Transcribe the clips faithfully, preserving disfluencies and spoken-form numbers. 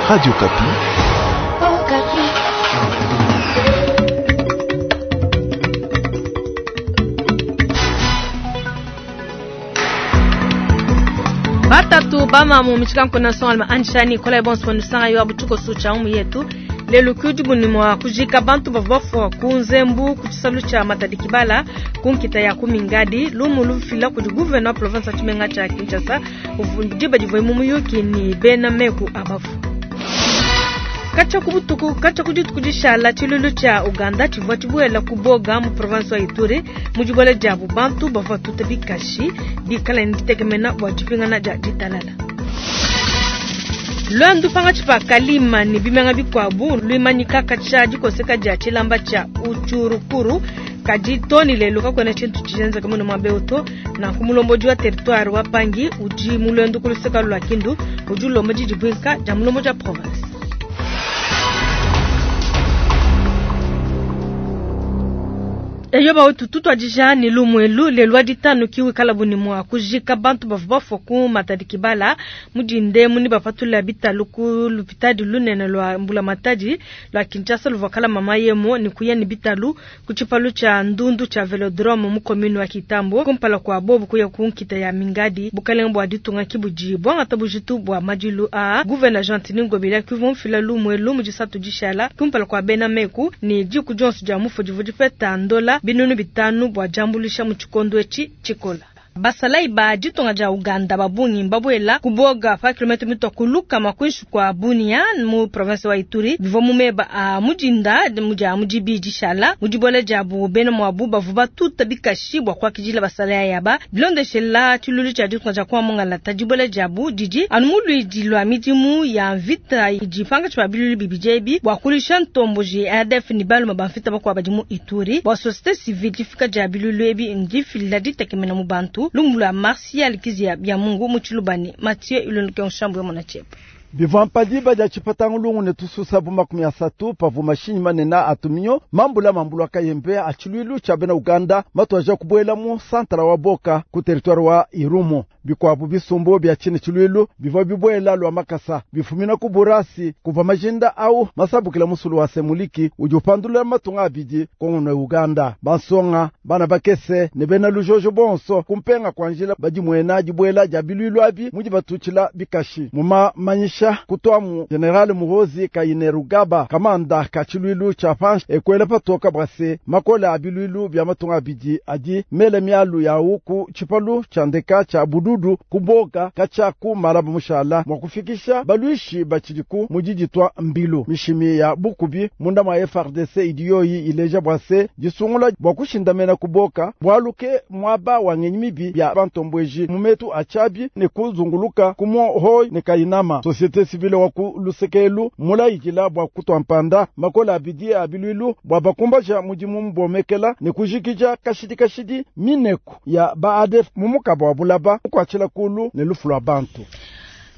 Radio Okapi. Oh, Batatu bamamu michikanko na songa anshani kola bonso bonusanga yo abutuko sucha umu yetu lelo kudi mwa kujika bantu bavua bafua ku nzembu ku tshisalu tshia Matadi Kibala ku nkita ya ku Mingadi lumu lufila kudi gouverneur wa province ya Tshimenga tshia Kinshasa diba divua mu muyuki ni bena meku abafu. Katshia ku butuku katshia ku dituku dishala tshilulu tshia Uganda tshivua tshibuela ku Boga mu province wa Ituri mu dibuela diabu bantu bavua tuta bikashi bikala ne ditekemena bua dipingana dia ditalala. Lwendu pangatshi pa kalima ne bimenga bikuabu luimanyika katshia dikoseka dia tshilamba tshia Uchurukuru kadi toni lelo kakuena tshintu tshienzeka muno mwa beoto na kumulombodi wa territoire wa Pangi udi mu lwendu ku luseka lua Kindu udi ulomba didibuinka dia mulombodi wa province. Eyo bautu tutwadija ni lumwelu lelo wa ditanu kiwi kala buni mwa kujika bantu bavua bafua ku Matadi Kibala mudinde muni bapatula bitalu ku lupitadi lunene lwa mbula matadi lwa Kinshasa luvua kala mama yemo ni kuya ni bitalu ku tshipalu tshia ndundu tshia velodrome mu commune wa Kitambo kumpala kwa bobu kuya ku nkita ya Mingadi bukalenge bua ditunga kibudi bwangata bujitu bua madilu a gouverneur Gentiny Ngobila kivua mfila lumwelu mu disatu dishala kumpala kwa bena meku ni diku dionso dia mufu divua dipeta ndola binunu bitanu bua jambulisha mu tshikondo etshi tshikola. Basalai ba ditunga dia Uganda babungi mbabuela kuboga pa kilomètre mitwa kuluka makwinshi kwa Bunia mu province wa Ituri bivua mu meba a mudinda mudia mudibi dishala mudibola diabu bena mwabu bavua batuta bikashi bua kuakidila basalai yaba bilondeshela tshilulu tshia ditunga dia kwa mungalata dibola diabu didi anu muluidi lwa midimu ya mvita idi pangatshi pa bilulu bibidi ebi bua kulisha ntomboji A D F ni baluma ba mvita bakuabu badi mu Ituri bua société civile difika dia bilulu ebi ndifila ditekemena mu bantu. Lumbu lwa Martial Kizia bya Mungu mu Tshilubani Mathieu Ilunduke Nshambu ya Mona Chepe. Bivua mpadiba dia tshipatanga lungu ne tususa bu makumi asatu pavu mashinyi manene atuminyo mambula mambulwa kayembe a tshiluilu tshia bena Uganda matuaja kubuela mu santara wa Boka ku territoire wa Irumu. Bikuabu bisumbu bia tshine tshiluilu bivua bibuela lwa makasa bifumina ku Burasi kuva majinda au masabukila musulu wa Semuliki udi upandulula matunga abidi Kongo ne Uganda. Bansonga bana bakese ne bena lujojo bonso kumpenga kwa njila badi muena dibuela dia biluilu abi mudi batutshila bikashi muma manyisha kutwamu General Muhoozi Kainerugaba kamanda ka tshiluilu tshia panshi ekwela patoka bwase makola a biluilu bia matunga abidi adi mele mialu yawu ku tshipalu tshia ndeka tshia bududu kuboka katshia ku malaba mushala mwa kufikisha balwishi batshidiku mudiditwa mbilu mishimi ya bukubi munda mwa F R D C idiyoyi ileja bwase disungula bwa kushindamena kuboka bwaluke mwaba wa ngenyi mibi ya bantombweji mumetu achabi ne kuzunguluka kumohoi ne kayinama. Société civile wa ku lusekelu mulayikila bwa kutwa mpanda makola abidi abiluilu bwa bakumbaja mudimu mbomekela ne kujikija kashidi kashidi mineku ya ba A D F mumukaba wa bulaba kuachila kulu ne lufu lwa bantu.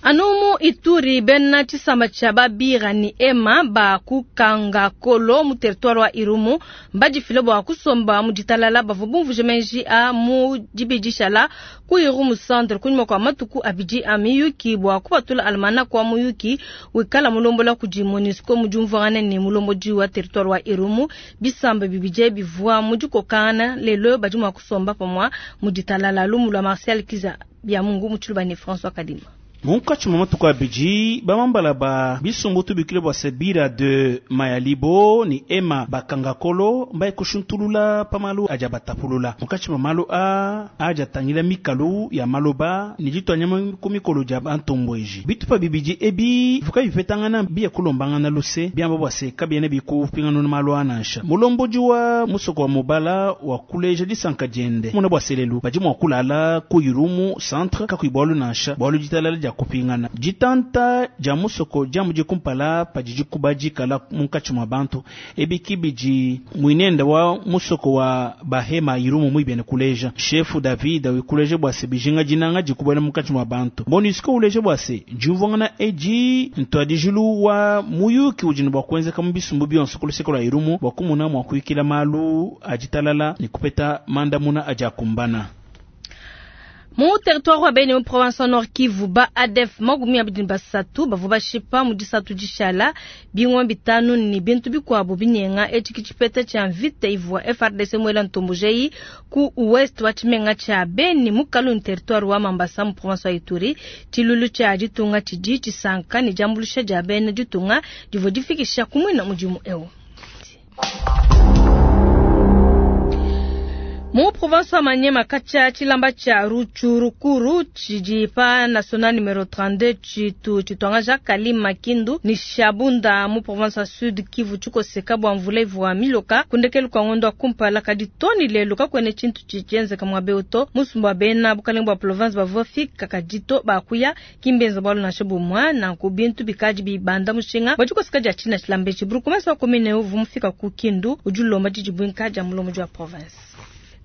Anumu Ituri bena tshisamba tshia Babira ni Ema ba kukanga kolo mu territoire wa Irumu mbadifile bua kusomba mu ditalala bavua bumvuje menji a mu dibidishala ku Irumu centre kunyuma kwa matuku abidi a miyuki bua kupatula almana kwa muyuki wikala mulombola kudi MONUSCO mu diumvuangana ne mulombodi wa territoire wa Irumu bisamba bibidi bivua mu dikokana lelo badi mua kusomba pamua mu ditalala lumu lwa Martial Kiza bya Mungu mu Tshilubane François Kadima. Munkatshi mwa matuku abidi bamambala ba bisumbu tubikile bua sebira de Mayalibo ni Ema bakangakolo mbaye kushuntulula pamalu aja batapulula. Munkatshi mwa malu a aja tangila mikalu ya maloba ni ditwanya ku mikolo dia bantombweji. Bitupa bibidi ebi vuka bipetangana biya kulombangana luse biamba bua se kabiene bikupingana na malu anansha. Mulombodi wa musoko wa mobala wa kuleja disanka diende. Muna bua selelu badi mua kulala ku Irumu centre kakuibwalu nansha bwalu ditalala dia kupingana. Ditanta dia musoko dia mudi kumpala padidi kubadikala munkatshi mwa bantu ebi kibidi mwinenda wa musoko wa bahema Irumu mwibene kuleja. Chefu David wikuleje bua se bijinga dinanga dikubwela munkatshi mwa bantu. MONUSCO uleje bua se diumvuangana edi ntwadijilu wa muyuki udi ne bua kuenzeka mu bisumbu bionso ku luseke lua Irumu bua kumuna mua kuyikila malu aditalala ne kupeta mandamuna adi akumbana. Mu territoire wa Beni mu province Nord Kivu ba A D F makumi abidi na basatu bavua bashipa mu disatu dishala bingwa bitanu ni bintu bikuabu binyenga etshi kitshipeta tshia mvita ivua F R D C mwela ntombojei ku ouest wa tshimenga tshia Beni mu Kalundu territoire wa Mambasa mu province wa Ituri. Tshilulu tshia ditunga tshidi tshisanka ne diambulusha dia bena ditunga divua difikisha kumwina mudimu eu. Mu province wa Maniema kacha tshilamba tshia Rutshurukuru tshidi pa national numero trente-deux tshitu tshitwangaja Kalima Kindu ni Shabunda mu province wa Sud Kivu tshikoseka bua mvula ivua miloka kundekelu kwa ngondo kumpala kadi toni lelo kakwene tshintu tshitshienzeka mwa beuto musumba wa bena bukalenge bua province bavua fika kadito bakuya kimbenza bwalu nansha bumwa nanku bintu bikadi bibanda mushinga bua tshikoseka dia tshina tshilamba etshi burukumesa wa commune uvu mufika ku Kindu udi ulomba didibwinka dia mulomo wa province.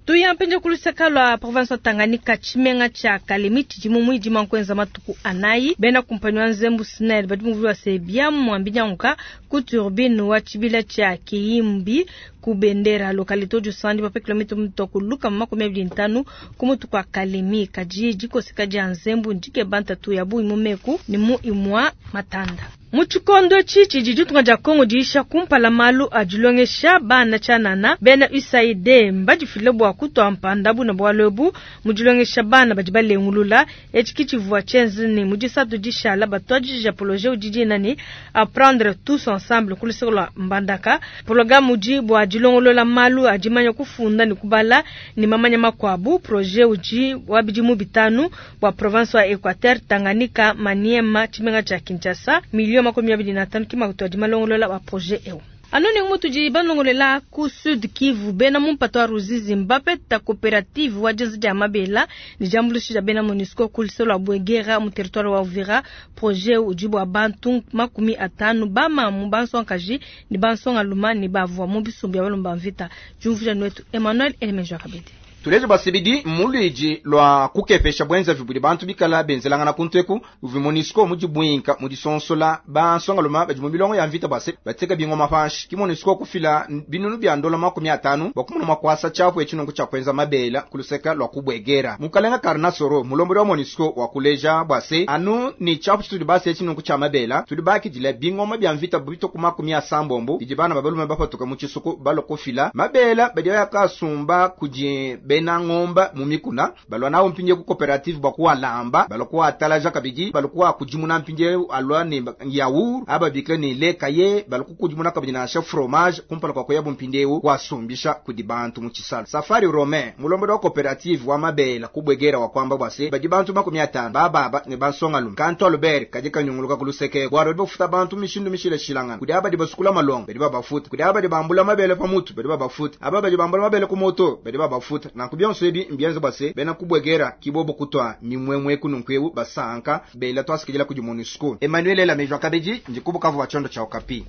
Tuyampenje kuluseka lwa province wa Tanganyika tshimenga tshia Kalemi tshidi mu mwidi mankwenza matuku anayi bena kumpanyi wa Nzembu Snell badi muvu wa sebia mwambinyanguka ku turbine wa tshibila tshia Kiyimbi ku bendera localité du sandi pa kilomita mutoko luka makumi abidi ntanu ku mutu kwa Kalemi kaji jikoseka dia Nzembu ndike bantatu ya buyi mumeku ni mu imwa matanda. Muchikondo chichi ditunga dia Kongo diisha kumpala malu adilongesha bana chanana bena U S A I D mbadifile bua kutwa mpanda buna bwalobu mudilongesha bana badi balengulula etshi chenzi ni mudisatu dishala batwajija projet udidina ni apprendre tous ensemble kulisolo mbandaka programme udi bua dilongolola malu adimanya kufunda ni kubala ni mamanya makwabu projet udi wabidimu bitanu bua province wa Equateur Tanganyika Maniema tshimenga cha Kinshasa milio makumi abidi na tano kima kutoa dimalongolola wa projet eu. Anoni mutu di banongolela ku Sud Kivu bena mumpato wa Ruzizi Mbappe ta coopérative wa jenzi dia mabela ni jambulushi ja bena MONUSCO kulisolo wa Bwegera mu territoire wa Uvira projet ujibu wa bantu makumi atanu bama mu bansonkaji ni bansonga luma ni bavua mu bisumbi ya balomba mvita. Jumvuja nwetu Emmanuel Elemejo Kabedi. Tuleje basibidi mulwiji lwa kukepesha bwenza vibuli bantu bikala benzelangana kunteku uvi MONUSCO mujibwinka mudisonsola bansonga luma badi mu milongo ya mvita base bateka bingoma panshi ki MONUSCO kufila binunu bya ndola makumi atanu bakumuna makwasa chapo echinongo cha kwenza mabela kuluseka lwa kubwegera mukalenga Karnasoro mulomboli wa MONUSCO wa kuleja bwase anu ni chapo tudi base echinongo cha mabela tudi bakidila bingoma bya mvita bito ku makumi asambombo dijibana babalume bapatuka mu chisuku balokofila mabela badi yakasumba kuji bena ngomba mumikuna balwa nawo mpinje ku coopérative bakuwa lamba balokuwa atalaja kabidi balokuwa kujimuna mpinje alwa ni yaourt aba bikle ni lekaye baloku kujimuna kabidi na chef fromage kumpala kwa koyabu mpindewu wasumbisha kudibantu mu chisalo safari romain mulombo wa coopérative wa mabela kubwegera wa kwamba bwase badi bantu makumi atano bababa ne bansonga lumu kanto Albert kaje kanyunguluka kuluseke gwaro bofuta bantu mishindu mishile shilangana kudi abadi basukula malongo badi babafuta kudi abadi bambula mabele pamutu badi babafuta ababa bambula mabele kumoto badi babafuta na kubyonso ebi mbianzo base bena kubwegera kibobo kutwa mimwemwe kununkwewu basanka bela twasikijela kuji MONUSCO Emmanuel Ela Mejwa Kabeji njikubukavu wa chondo cha Okapi.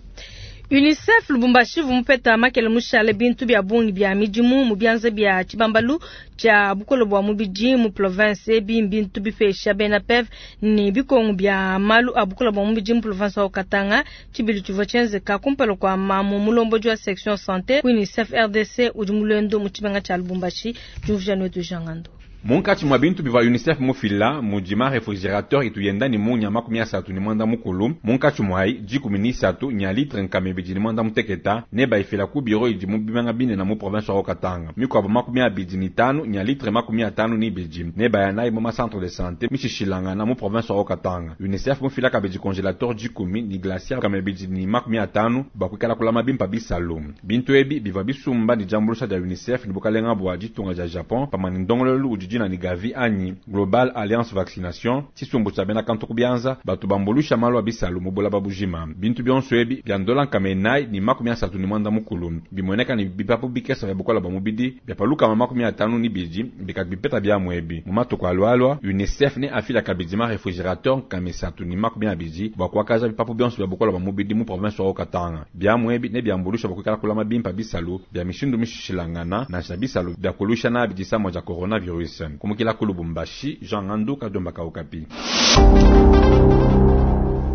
UNICEF Lubumbashi vumupeta makele mushale bintu bya bungi bya midimu mu byanza bya Tshibambalu tshia bukolo bwa mubidi mu province ebi bintu bipesha bena P E V ni bikongo bya malu a bukolo bwa mubidi mu province wa Katanga tshibilu tshivua tshienzeka kumpala kwa mamu mulombo wa section santé UNICEF R D C udi mulendo mu tshimenga tshia Lubumbashi juvja nwetu jangando. Munkatshi mwa bintu biva UNICEF mufila mujima refrigerateur ituyenda ni munya makumi asatu ni mwanda mukulu munkatshi mwai dikumi ni isatu nya litre nkama ibidi ni mwanda muteketa ne baifila ku biro idi mu bimanga bine na mu province wa Katanga mikwabo makumi abidi ni tanu nya litre makumi atanu ni ibidi ne bayana mu ma centre de santé mishishilanga na mu province wa Katanga UNICEF mufila kabidi congélateur dikumi ni glacière kama ibidi ni makumi atanu bakwikala kulama bimpa bisalu bintu ebi biva bisumba ni jambulusha dia UNICEF ni bukalenga bwa ditunga dia Japon pamani ndongololu udi na ni Gavi anyi Global Alliance Vaccination tshisumbu tshia bena kantu kubianza batu bambulusha malu abisalu mubola babujima bintu bionso ebi bya ndola nkama ni makumi asatu ni mwanda mukulu bimoneka ni bipapu bikesa bya bukola bwa mubidi bya paluka makumi atanu ni bidi bikabipeta bya mwebi mu matuku alwalwa UNICEF ne afila kabidima refrigerateur nkama isatu ni makumi abidi bwa kuakaja bipapu bionso bya bukola bwa mubidi mu province wa Katanga bya mwebi ne byambulusha bwa kuikala kulama bimpa bisalu bya mishindu mishishilangana na sha bisalu bya kulusha na bidisa moja coronavirus. Kumukila ku Lubumbashi, Jean Ngandu Kadomba Okapi.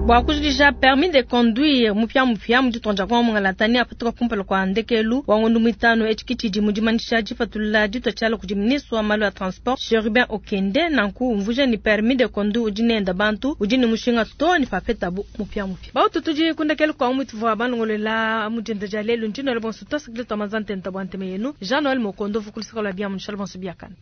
Bua kujikija permis de conduire mupiamupia mu ditunga dia Kongo mungalata ne apatuka kumpala kua ndekelu wa ngondo muitanu. Etshi ke tshidi mu dimanyisha dipatulula ditua tshiala kudi ministre wa malu a transport Cherubin Okende. Nanku umvuija ne permis de conduire udi nenda bantu udi ne mushinga too ne papetabu mupiamupia. Bautu tudi ku ndekelu kua mu tuvua balongolola mu dinda dia lelu. Ndi nuela bonso tuasakidila tua manza ntenta bua ntema yenu. Jean Noel Mokondo vukulusaka lua biamu nushala bonso biakane.